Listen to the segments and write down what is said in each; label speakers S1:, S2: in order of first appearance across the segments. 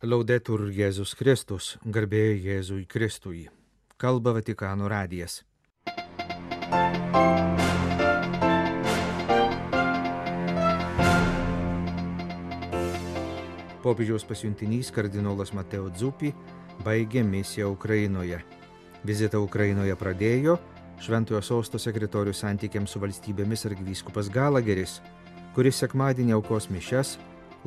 S1: Laudetur Jėzus Kristus, garbė Jėzui Kristui. Kalba Vatikano radijas. Popiežiaus pasiuntinys kardinolas Mateo Zuppi baigė misiją Ukrainoje. Vizitą Ukrainoje pradėjo Šventojo Sosto sekretorius santykiams su valstybėmis arkivyskupas Galageris, kuris sekmadienį aukos mišias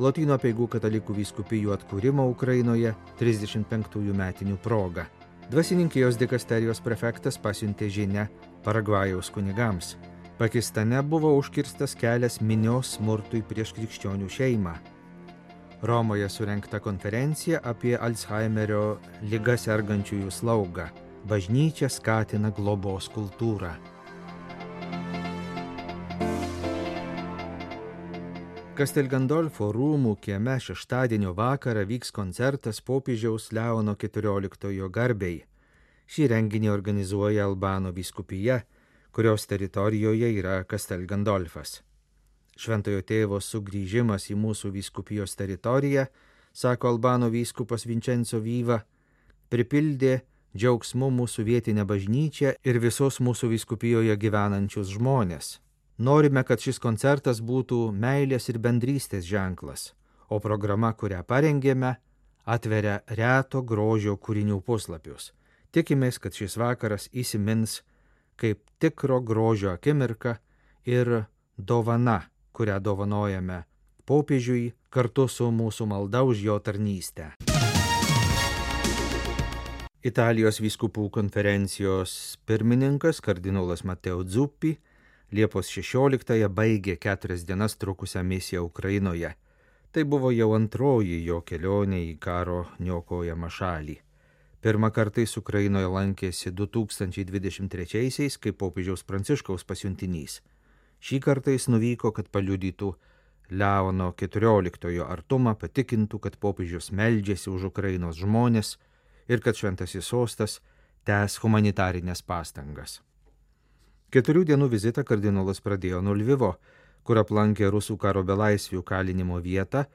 S1: Lotynų apeigų katalikų vyskupijų atkūrimo Ukrainoje 35 metinių proga. Dvasininkijos dikasterijos prefektas pasiuntė žinią Paragvajaus kunigams. Pakistane buvo užkirstas kelias minios smurtui prieš krikščionių šeimą. Romoje surengta konferencija apie Alzheimerio liga sergančiųjų slaugą. Bažnyčia skatina globos kultūrą. Castel Gandolfo rūmų kieme šeštadienio vakarą vyks koncertas popiežiaus Leono XIV garbei. Šį renginį organizuoja Albano vyskupija, kurios teritorijoje yra Castel Gandolfas. Šventojo tėvo sugrįžimas į mūsų vyskupijos teritoriją, sako Albano vyskupas Vincenzo Viva, pripildė džiaugsmu mūsų vietinę bažnyčią ir visos mūsų vyskupijoje gyvenančius žmonės. Norime, kad šis koncertas būtų meilės ir bendrystės ženklas, o programa, kurią parengėme, atveria reto grožio kūrinių puslapius. Tikimės, kad šis vakaras įsimins kaip tikro grožio akimirka ir dovana, kurią dovanojame popiežiui kartu su mūsų malda už jo tarnystę. Italijos vyskupų konferencijos pirmininkas kardinolas Mateo Zuppi Liepos 16-ąją baigė 4 dienas trukusią misiją Ukrainoje. Tai buvo jau antroji jo kelionė į karo niokojamą šalį. Pirmą kartą jis Ukrainoje lankėsi 2023-aisiais kaip popiežiaus Pranciškaus pasiuntinys. Šį kartą jis nuvyko, kad paliudytų Leono XIV artumą, patikintų, kad popiežius meldžiasi už Ukrainos žmones ir kad Šventasis Sostas tęs humanitarinės pastangas. 4 dienų vizitą kardinolas pradėjo nuo Lvivo, kur aplankė rusų karo belaisvių kalinimo vietą,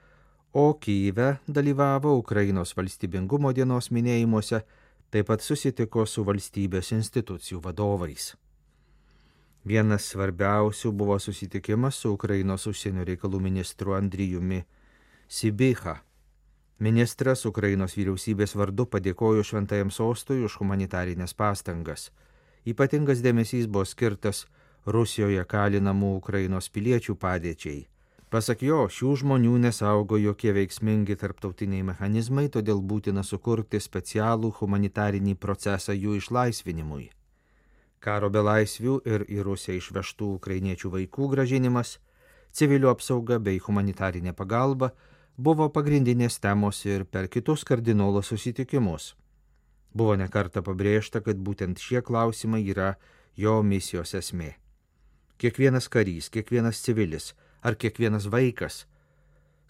S1: o Kyjive dalyvavo Ukrainos valstybingumo dienos minėjimuose, taip pat susitiko su valstybės institucijų vadovais. Vienas svarbiausių buvo susitikimas su Ukrainos užsienio reikalų ministru Andrijumi Sybiha. Ministras Ukrainos vyriausybės vardu padėkojo Šventajam Sostui už humanitarinės pastangas. Ypatingas dėmesys buvo skirtas Rusijoje kalinamų Ukrainos piliečių padėčiai. Pasak jo, šių žmonių nesaugo jokie veiksmingi tarptautiniai mechanizmai, todėl būtina sukurti specialų humanitarinį procesą jų išlaisvinimui. Karo belaisvių ir į Rusiją išvežtų ukrainiečių vaikų gražinimas, civilių apsauga bei humanitarinė pagalba buvo pagrindinės temos ir per kitus kardinolo susitikimus. Buvo nekartą pabrėžta, kad būtent šie klausimai yra jo misijos esmė. Kiekvienas karys, kiekvienas civilis ar kiekvienas vaikas,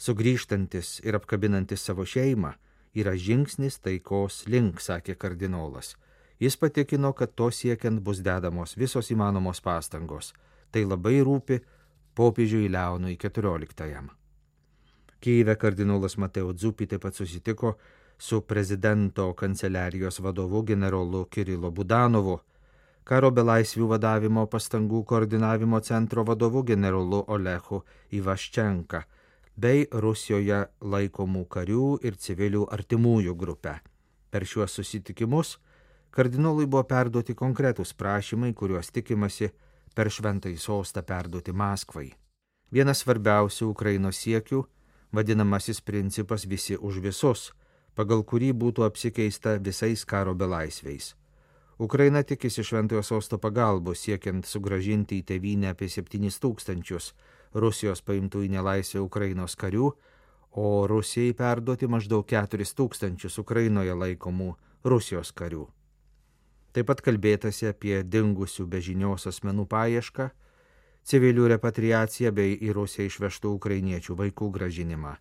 S1: sugrįžtantis ir apkabinantis savo šeimą, yra žingsnis taikos link, sakė kardinolas. Jis patikino, kad to siekiant bus dedamos visos įmanomos pastangos. Tai labai rūpi popiežiui Leonui XIV. Kyjive kardinolas Mateo Zuppi taip pat susitiko su prezidento kanceliarijos vadovu generolu Kirilo Budanovu, karo belaisvių vadavimo pastangų koordinavimo centro vadovu generolu Olechu Ivaščenka bei Rusijoje laikomų karių ir civilių artimųjų grupę. Per šiuos susitikimus kardinolui buvo perduoti konkretūs prašymai, kuriuos tikimasi per Šventąjį Sostą perduoti Maskvai. Vienas svarbiausių Ukrainos siekių – vadinamasis principas visi už visus, pagal kurį būtų apsikeista visais karo belaisviais. Ukraina tikisi Šventojo Sosto pagalbos siekiant sugrąžinti į tėvynę apie 7000 Rusijos paimtų į nelaisvę Ukrainos karių, o Rusijai perduoti maždaug 4000 Ukrainoje laikomų Rusijos karių. Taip pat kalbėtasi apie dingusių be žinios asmenų paiešką, civilių repatriaciją bei į Rusiją išvežtų ukrainiečių vaikų gražinimą.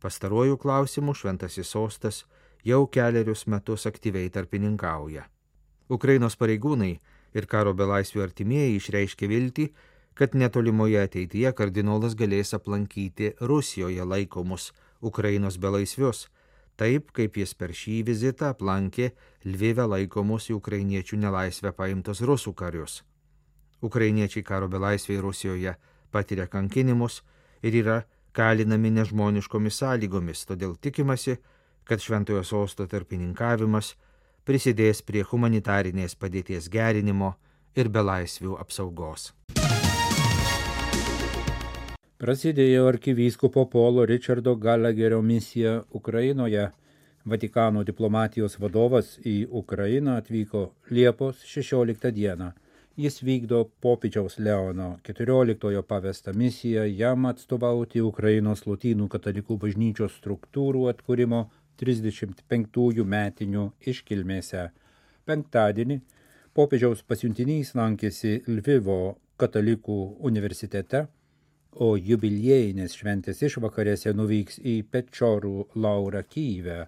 S1: Pastaruoju klausimu Šventasis Sostas jau 4 metus aktyviai tarpininkauja. Ukrainos pareigūnai ir karo belaisvių artimieji išreiškė viltį, kad netolimoje ateityje kardinolas galės aplankyti Rusijoje laikomus Ukrainos belaisvius, taip kaip jis per šį vizitą aplankė Lvive laikomus į ukrainiečių nelaisvę paimtus rusų karius. Ukrainiečiai karo belaisviai Rusijoje patiria kankinimus ir yra kalinami nežmoniškomis sąlygomis, todėl tikimasi, kad Šventojo Sosto tarpininkavimas prisidės prie humanitarinės padėties gerinimo ir belaisvių apsaugos.
S2: Prasidėjo arkivyskupo Polo Richardo Gallagherio misija Ukrainoje. Vatikano diplomatijos vadovas į Ukrainą atvyko Liepos 16 dieną. Jis vykdo popiežiaus Leono XIV pavestą misiją jam atstovauti Ukrainos Lotynų katalikų bažnyčios struktūrų atkūrimo 35 metinių iškilmėse. Penktadienį popiežiaus pasiuntinys lankėsi Lvivo katalikų universitete, o jubiliejinės šventės išvakarėse nuvyks į Pečorų laurą Kyjive.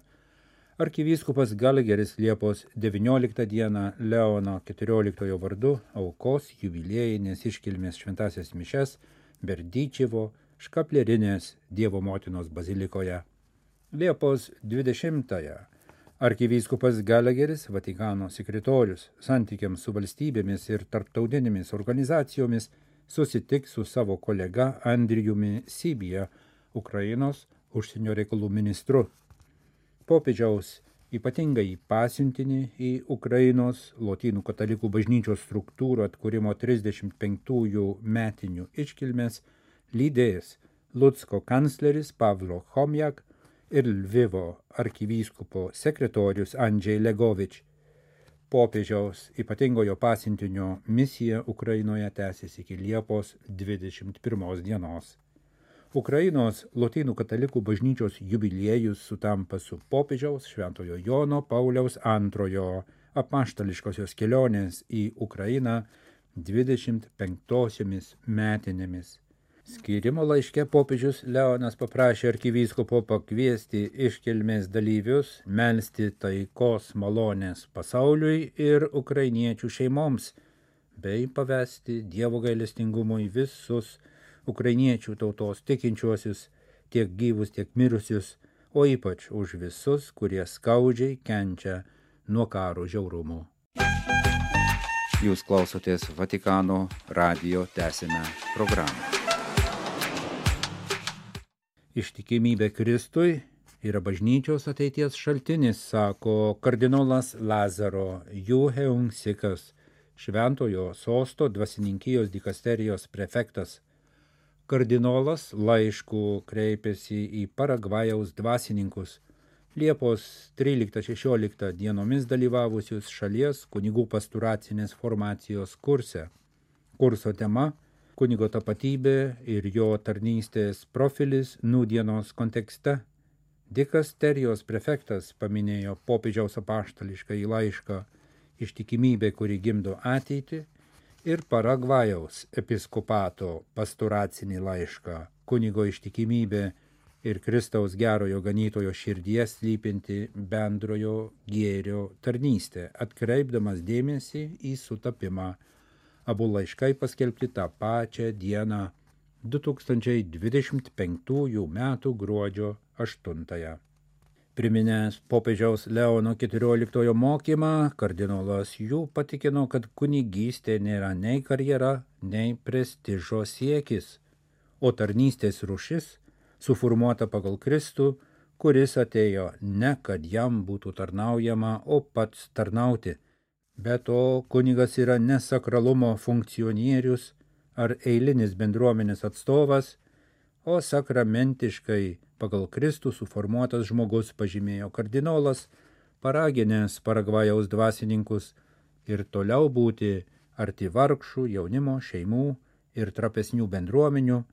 S2: Arkivyskupas Gallagheris Liepos 19 dieną Leono XIV vardu aukos jubiliejinės iškilmės šventasias mišes Berdyčevo Škaplerinės Dievo motinos bazilikoje. Liepos 20 arkivyskupas Gallagheris, Vatikano sekretorius santykiams su valstybėmis ir tarptautinėmis organizacijomis, susitiks su savo kolega Andrijumi Sibija, Ukrainos užsienio reikalų ministru. Popiežiaus ypatingai pasiuntinį į Ukrainos Lotynų katalikų bažnyčios struktūrų atkūrimo 35 metinių iškilmės lydės Lucko kancleris Pavlo Chomjak ir Lvivo arkivyskupo sekretorius Andžej Legovič. Popiežiaus ypatingojo pasiuntinio misija Ukrainoje tęsiasi iki Liepos 21 dienos. Ukrainos Lotynų katalikų bažnyčios jubiliejus sutampa su popiežiaus Šventojo Jono Pauliaus II apaštališkosios kelionės į Ukrainą 25 metinėmis. Skyrimo laiške popiežius Leonas paprašė arkivyskupo pakviesti iškilmės dalyvius melsti taikos malonės pasauliui ir ukrainiečių šeimoms, bei pavesti Dievo gailestingumui visus ukrainiečių tautos tikinčiuosius, tiek gyvus, tiek mirusius, o ypač už visus, kurie skaudžiai kenčia nuo karo žiaurumų. Jūs klausotės Vatikano radijo tęsiame programą. Ištikimybė Kristui yra bažnyčios ateities šaltinis, sako kardinolas Lazaro Juheungsikas, Šventojo Sosto dvasininkijos dikasterijos prefektas. Kardinolas laišku kreipėsi į Paragvajaus dvasininkus, Liepos 13-16 dienomis dalyvavusius šalies kunigų pasturacinės formacijos kurse. Kurso tema – kunigo tapatybė ir jo tarnystės profilis nūdienos kontekste. Dikasterijos prefektas paminėjo popiežiaus apaštališkąjį laišką Ištikimybė, kuri gimdo ateitį, ir Paragvajaus episkopato pasturacinį laišką Kunigo ištikimybė ir Kristaus gerojo ganytojo širdyje slypinti bendrojo gėrio tarnystė, atkreipdamas dėmesį į sutapimą. Abu laiškai paskelbti tą pačią dieną 2025 metų gruodžio 8. Priminęs popiežiaus Leono XIV mokymą, kardinolas jų patikino, kad kunigystė nėra nei karjera, nei prestižo siekis, o tarnystės rūšis suformuota pagal Kristų, kuris atėjo ne kad jam būtų tarnaujama, o pats tarnauti. Be to, kunigas yra ne sakralumo funkcionierius ar eilinis bendruomenės atstovas, o sakramentiškai pagal Kristų suformuotas žmogus, pažymėjo kardinolas, paraginęs Paragvajaus dvasininkus ir toliau būti arti vargšų, jaunimo, šeimų ir trapesnių bendruomenių,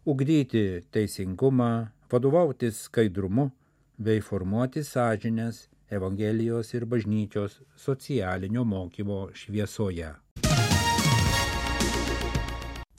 S2: ugdyti teisingumą, vadovautis skaidrumu bei formuoti sąžinės Evangelijos ir bažnyčios socialinio mokymo šviesoje.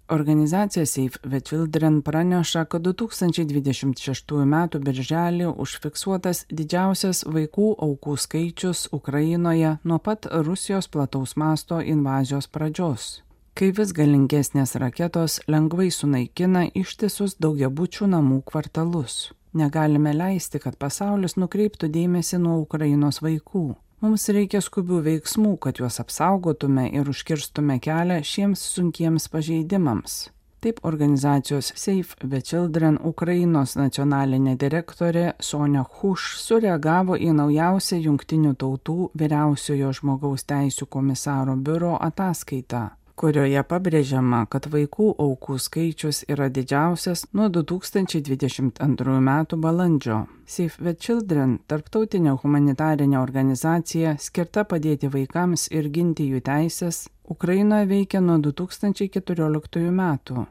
S3: Organizacija Save the Children praneša, kad 2026 m. birželį užfiksuotas didžiausias vaikų aukų skaičius Ukrainoje nuo pat Rusijos plataus masto invazijos pradžios. kai vis galingesnės raketos lengvai sunaikina ištisus daugiabučių namų kvartalus. Negalime leisti, kad pasaulis nukreiptų dėmesį nuo Ukrainos vaikų. Mums reikia skubių veiksmų, kad juos apsaugotume ir užkirstume kelią šiems sunkiems pažeidimams. Taip organizacijos Save the Children Ukrainos nacionalinė direktorė Sonia Huš sureagavo į naujausią Jungtinių tautų vyriausiojo žmogaus teisių komisaro biuro ataskaitą, kurioje pabrėžiama, kad vaikų aukų skaičius yra didžiausias nuo 2022 metų balandžio. Save the Children, tarptautinė humanitarinė organizacija skirta padėti vaikams ir ginti jų teisės, Ukrainoje veikia nuo 2014 metų.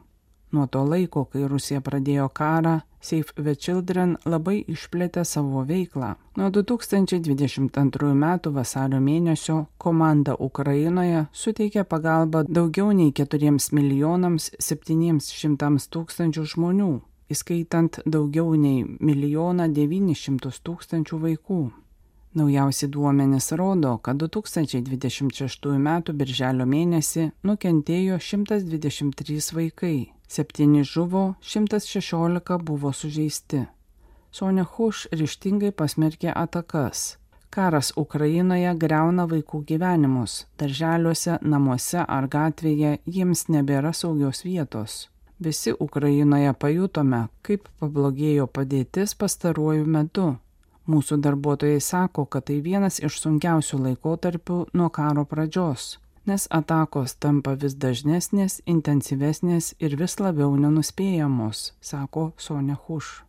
S3: Nuo to laiko, kai Rusija pradėjo karą, Save the Children labai išplėtė savo veiklą. Nuo 2022 metų vasario mėnesio komanda Ukrainoje suteikė pagalbą daugiau nei 4,700,000 žmonių, įskaitant daugiau nei 1,900,000 vaikų. Naujausi duomenys rodo, kad 2026 metų birželio mėnesį nukentėjo 123 vaikai, 7 žuvo, 116 buvo sužeisti. Sonia Huš ryžtingai pasmerkė atakas. Karas Ukrainoje griauna vaikų gyvenimus. Darželiuose, namuose ar gatvėje jiems nebėra saugios vietos. Visi Ukrainoje pajutome, kaip pablogėjo padėtis pastaruoju metu. Mūsų darbuotojai sako, kad tai vienas iš sunkiausių laikotarpių nuo karo pradžios, nes atakos tampa vis dažnesnės, intensyvesnės ir vis labiau nenuspėjamos, sako Sonia Huš.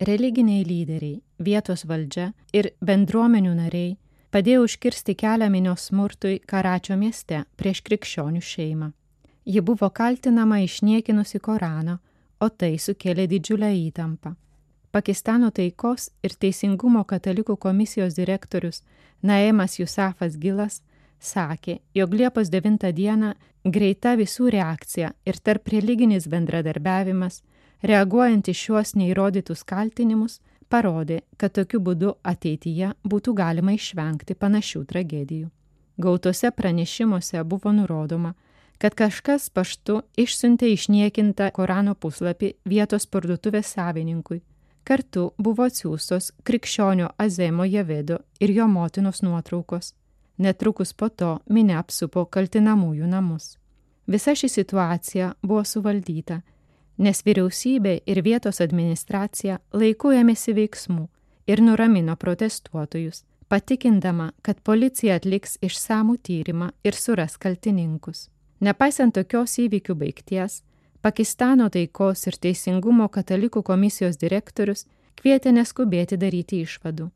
S4: Religiniai lyderiai, vietos valdžia ir bendruomenių nariai padėjo užkirsti kelią minios smurtui Karačio mieste prieš krikščionių šeimą. Ji buvo kaltinama išniekinusi Koraną, o tai sukėlė didžiulę įtampą. Pakistano taikos ir teisingumo katalikų komisijos direktorius Naemas Jusafas Gilas sakė, jog Liepos 9 dieną greita visų reakcija ir tarp religinis bendradarbiavimas, reaguojant į šiuos neįrodytus kaltinimus, parodė, kad tokiu būdu ateityje būtų galima išvengti panašių tragedijų. Gautose pranešimuose buvo nurodoma, kad kažkas paštu išsiuntė išniekintą Korano puslapį vietos parduotuvės savininkui. Kartu buvo atsiųstos krikščionio Azemo Javedo ir jo motinos nuotraukos. Netrukus po to minia apsupo kaltinamųjų namus. Visa ši situacija buvo suvaldyta, nes vyriausybė ir vietos administracija laiku ėmėsi veiksmų ir nuramino protestuotojus, patikindama, kad policija atliks išsamų tyrimą ir suras kaltininkus. Nepaisant tokios įvykių baigties, Pakistano taikos ir teisingumo katalikų komisijos direktorius kvietė neskubėti daryti išvadų.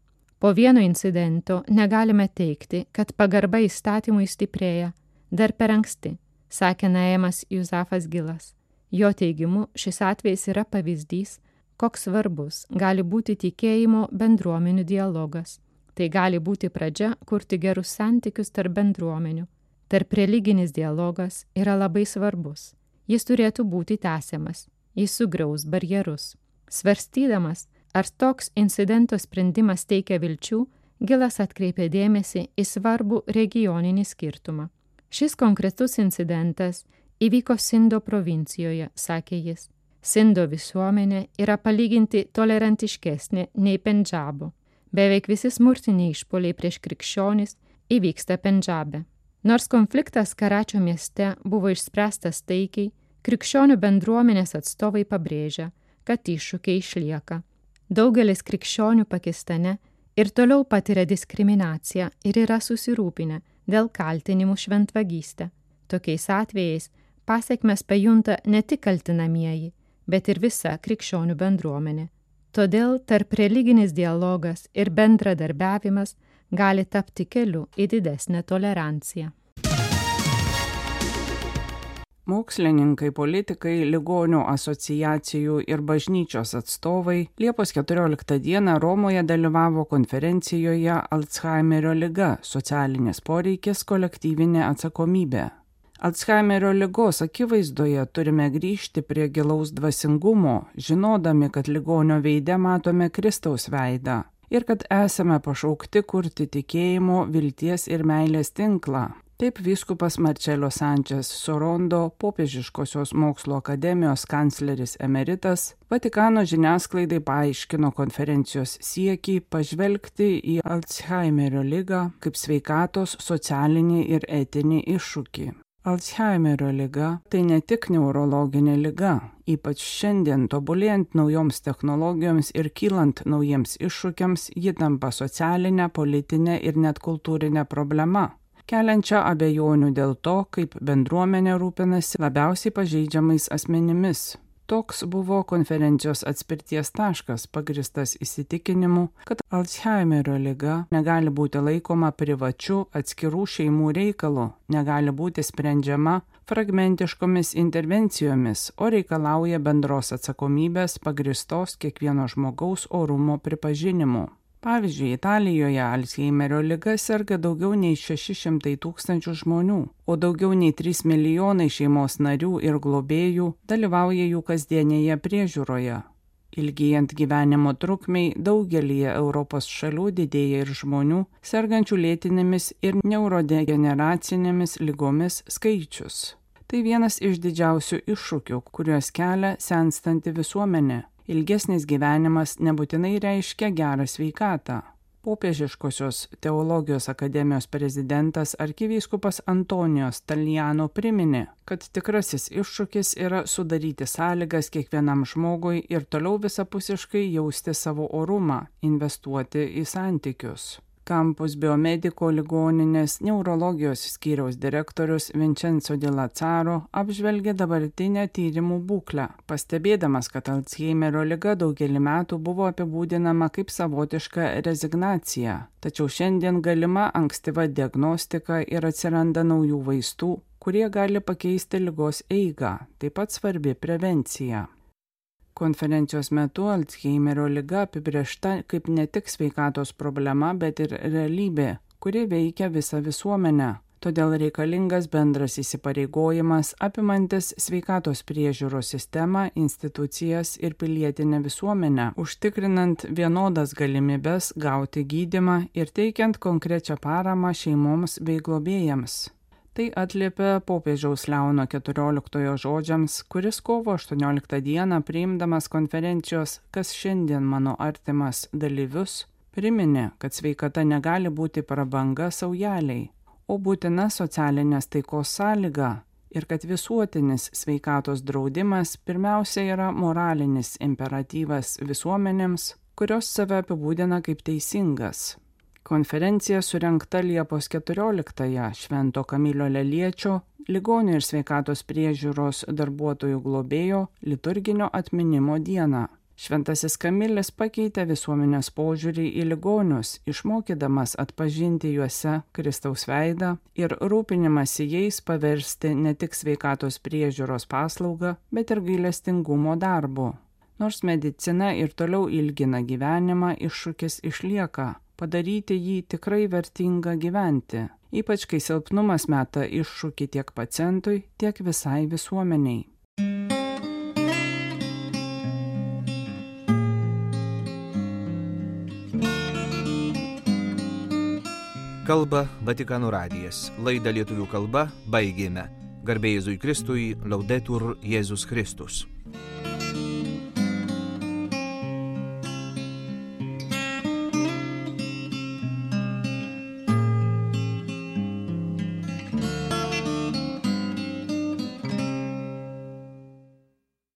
S4: Po vieno incidento negalime teigti, kad pagarba įstatymui stiprėja, dar per anksti, sakė Naemas Jusafas Gilas. Jo teigimu, šis atvejis yra pavyzdys, koks svarbus gali būti tikėjimo bendruomenių dialogas. Tai gali būti pradžia kurti gerus santykius tarp bendruomenių. Tarp religinis dialogas yra labai svarbus. Jis turėtų būti tęsiamas. Jis sugriaus barjerus. Svarstydamas, ar toks incidento sprendimas teikia vilčių, Gilas atkreipė dėmesį į svarbų regioninį skirtumą. Šis konkretus incidentas įvyko Sindo provincijoje, sakė jis. Sindo visuomenė yra palyginti tolerantiškesnė nei Pendžabo. Beveik visi smurtiniai išpuoliai prieš krikščionis įvyksta Pendžabe. Nors konfliktas Karačio mieste buvo išspręstas taikiai, krikščionių bendruomenės atstovai pabrėžia, kad iššūkiai išlieka. Daugelis krikščionių Pakistane ir toliau patiria diskriminaciją ir yra susirūpinę dėl kaltinimų šventvagystę. Tokiais atvejais pasekmes pajunta ne tik kaltinamieji, bet ir visa krikščionių bendruomenė. Todėl tarp religinis dialogas ir bendradarbiavimas gali tapti keliu į didesnę toleranciją.
S3: Mokslininkai, politikai, ligonių asociacijų ir bažnyčios atstovai Liepos 14 dieną Romoje dalyvavo konferencijoje Alzheimerio liga – socialinis poreikis, kolektyvinė atsakomybė. Alzheimerio ligos akivaizdoje turime grįžti prie gilaus dvasingumo, žinodami, kad ligonio veide matome Kristaus veidą. ir kad esame pašaukti kurti tikėjimo, vilties ir meilės tinklą. Taip vyskupas Marcello Sančes Sorondo, Popiežiškosios mokslo akademijos kancleris emeritas, Vatikano žiniasklaidai paaiškino konferencijos siekį pažvelgti į Alzheimerio ligą kaip sveikatos, socialinį ir etinį iššūkį. Alzheimerio liga tai ne tik neurologinė liga, ypač šiandien tobulėjant naujoms technologijoms ir kylant naujiems iššūkiams, ji tampa socialinė, politinė ir net kultūrinė problema, keliančią abejonių dėl to, kaip bendruomenė rūpinasi labiausiai pažeidžiamais asmenimis. Toks buvo konferencijos atspirties taškas, pagristas įsitikinimu, kad Alzheimerio liga negali būti laikoma privačiu atskirų šeimų reikalu, negali būti sprendžiama fragmentiškomis intervencijomis, o reikalauja bendros atsakomybės pagristos kiekvieno žmogaus orumo pripažinimu. Pavyzdžiui, Italijoje Alzheimerio liga serga daugiau nei 600 000 žmonių, o daugiau nei 3 milijonai šeimos narių ir globėjų dalyvauja jų kasdienėje priežiūroje. Ilgėjant gyvenimo trukmei, daugelyje Europos šalių didėja ir žmonių sergančių lėtinėmis ir neurodegeneracinėmis ligomis skaičius. Tai vienas iš didžiausių iššūkių, kuriuos kelia senstanti visuomenė. Ilgesnis gyvenimas nebūtinai reiškia gerą sveikatą. Popiežiškosios teologijos akademijos prezidentas arkivyskupas Antonijos Taljano priminė, kad tikrasis iššūkis yra sudaryti sąlygas kiekvienam žmogui ir toliau visapusiškai jausti savo orumą, investuoti į santykius. Campus Biomedico ligoninės neurologijos skyriaus direktorius Vincenzo Di Lazzaro apžvelgė dabartinę tyrimų būklę, pastebėdamas, kad Alzheimerio liga daugelį metų buvo apibūdinama kaip savotiška rezignacija, tačiau šiandien galima ankstyva diagnostika ir atsiranda naujų vaistų, kurie gali pakeisti ligos eigą, taip pat svarbi prevencija. Konferencijos metu Alzheimerio liga apibrėžta kaip ne tik sveikatos problema, bet ir realybė, kuri veikia visą visuomenę. Todėl reikalingas bendras įsipareigojimas apimantis sveikatos priežiūros sistemą, institucijas ir pilietinę visuomenę, užtikrinant vienodas galimybes gauti gydymą ir teikiant konkrečią paramą šeimoms bei globėjams. Tai atliepia popiežiaus Leono XIV žodžiams, kuris kovo 18 dieną priimdamas konferencijos "Kas šiandien mano artimas" dalyvius, priminė, kad sveikata negali būti prabanga saujeliai, o būtina socialinės taikos sąlyga ir kad visuotinis sveikatos draudimas pirmiausia yra moralinis imperatyvas visuomenėms, kurios save apibūdina kaip teisingas. Konferencija surengta Liepos 14-ąją Švento Kamilio Leliečio, ligonių ir sveikatos priežiūros darbuotojų globėjo liturginio atminimo dieną. Šventasis Kamilis pakeitė visuomenės požiūrį į ligonius, išmokydamas atpažinti juose Kristaus veidą ir rūpinimąsi jais paversti ne tik sveikatos priežiūros paslaugą, bet ir gailestingumo darbu. Nors medicina ir toliau ilgina gyvenimą, iššūkis išlieka. Padaryti jį tikrai vertinga gyventi, ypač kai silpnumas meta iššūkį tiek pacientui, tiek visai visuomeniai.
S1: Kalba Vatikano radijas. Laidą lietuvių kalba baigėme. Garbė Jėzui Kristui, Laudetur Jėzus Kristus.